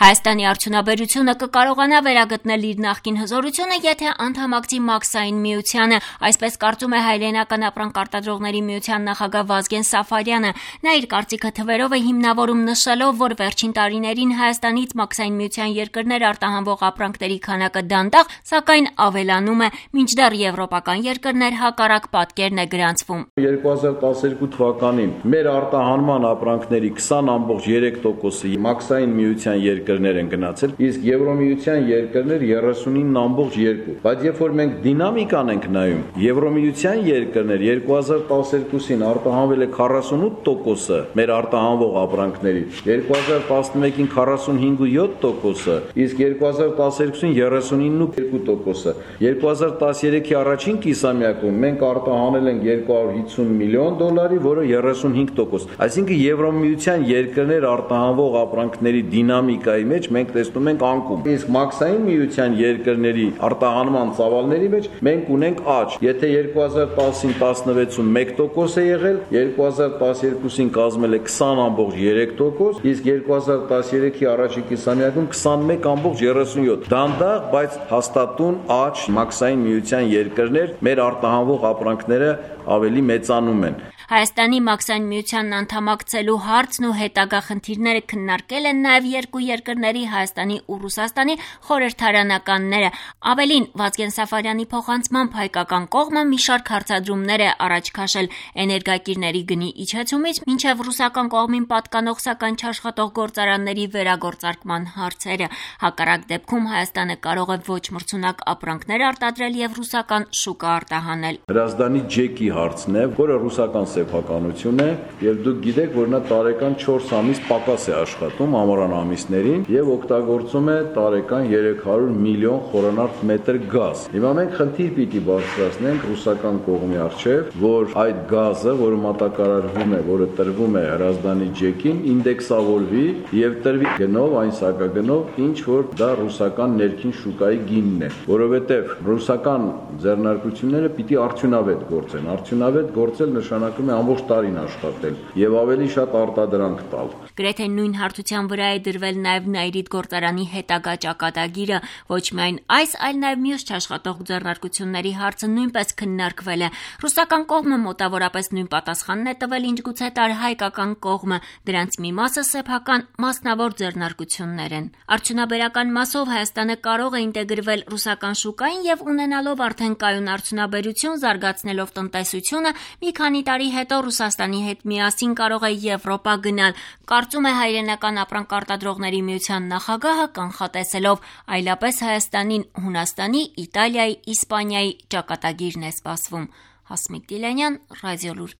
Հայաստանի արդյունաբերությունը կկարողանա վերագտնել իր նախկին հզորությունը, եթե անդամակցի Մաքսային միությանը, այսպես կարծում է Հայրենական ապրանք արտադրողների միության նախագահ Վազգեն Սաֆարյանը։ Նա իր կարծիքը թվերով է հիմնավորում, նշելով, որ վերջին տարիներին Հայաստանից Մաքսային միության երկրներ արտահանվող ապրանքների քանակը դանդաղ, սակայն ավելանում է, մինչդեռ եվրոպական երկրներ հակառակ պատկերն է գրանցվում։ 2012 թվականին մեր արտահանման ապրանքների 20.3%-ը Մաքսային միության երկրներ են գնացել, իսկ Եվրոմիության երկրներ 39.2%։ Բայց երբ որ մենք դինամիկան ենք նայում, Եվրոմիության երկրներ 2012-ին արտահանվել է 48%-ը մեր արտահանվող ապրանքների, 2011-ին 45.7%-ը, իսկ 2012-ին 39.2%-ը։ 2013-ի առաջին կիսամյակում մենք արտահանել ենք $250 միլիոն, որը 35%։ Այսինքն Եվրոմիության երկրներ արտահանվող ապրանքների դինամիկայի մեջ մենք տեսնում ենք անկում։ Իսկ Մաքսային միության երկրների արտահանման ծավալների մեջ մենք ունենք աճ։ Եթե 2010-ին 16-ում 1% է եղել, 2012-ին կազմել է 20.3%, իսկ 2013-ի առաջին կիսամյակում 21.37%։ Դանդաղ, բայց հաստատուն աճ Մաքսային միության երկրներ մեր արտահանվող ապրանքները ավելի մեծանում են։ Հայաստանի Մաքսային միությանն անդամակցելու հարցն ու հետագա խնդիրները քննարկել են նաև երկու երկրների Հայաստանի ու Ռուսաստանի խորհրդարանականները։ Ավելին, Վազգեն Սաֆարյանի փոխանցմամբ հայկական կողմը մի շարք հարցադրումներ է առաջ քաշել էներգակիրների գնի իջեցումից մինչև ռուսական կողմին պատկանող սակայն չաշխատող գործարանների վերագործարկման հարցերը։ Հակառակ դեպքում Հայաստանը կարող է ոչ մրցունակ ապրանքներ արտադրել եւ ռուսական շուկա արտահանել։ Հրազդանի ջեկի հարցն է, որը ռուսական սեփականություն է, եւ դուք գիտեք, որ նա տարեկան 4 ամիս պակաս է աշխատում ամառան ամիսներին եւ օգտագործում է տարեկան 300 միլիոն խորանարդ մետր գազ։ Հիմա մենք խնդիր պիտի բարձրացնենք ռուսական կողմի առջև, որ այդ գազը, որը մատակարարվում է, որը տրվում է Հրազդանի ջեկին, ինդեքսավորվի եւ տրվի գնով, այն սակագնով, ինչ որ դա ռուսական ներքին շուկայի գինն է, որովհետեւ ռուսական ձեռնարկությունները պիտի արդյունավետ գործեն։ Արդյունավետ գործել նշանակում է ամբողջ տարին աշխատել եւ ավելի շատ արտադրանք տալ։ Գրեթե նույն հարթության վրա է դրվել նաև Նաիրիդ գործարանի հետագա ճակատագիրը։ Ոչ միայն այս, այլ նաև մյուս չաշխատող ձեռնարկությունների հարցը նույնպես քննարկվել է։ Ռուսական կողմը մոտավորապես նույն պատասխանն է տվել, ինչ գուցե տար հայկական կողմը։ Դրանց մի մասը սեփական մասնավոր ձեռնարկություններ են։ Արդյունաբերական մասով Հայաստանը կարող է ինտեգրվել ռուսական շուկային եւ ունենալով արդեն կայուն արդյունաբերություն, զարգացնելով տնտեսությունը, մի քանի տարի հետո Ռուսաստանի հետ միասին կարող է Եվրոպա գնալ, կարծում է Հայրենական ապրանք արտադրողների միության նախագահը, կանխատեսելով այլապես Հայաստանին Հունաստանի, Իտալիայի, Իսպանիայի ճակատագիրն է սպասվում։ Հասմիկ Դիլանյան, Ռադիոլուր։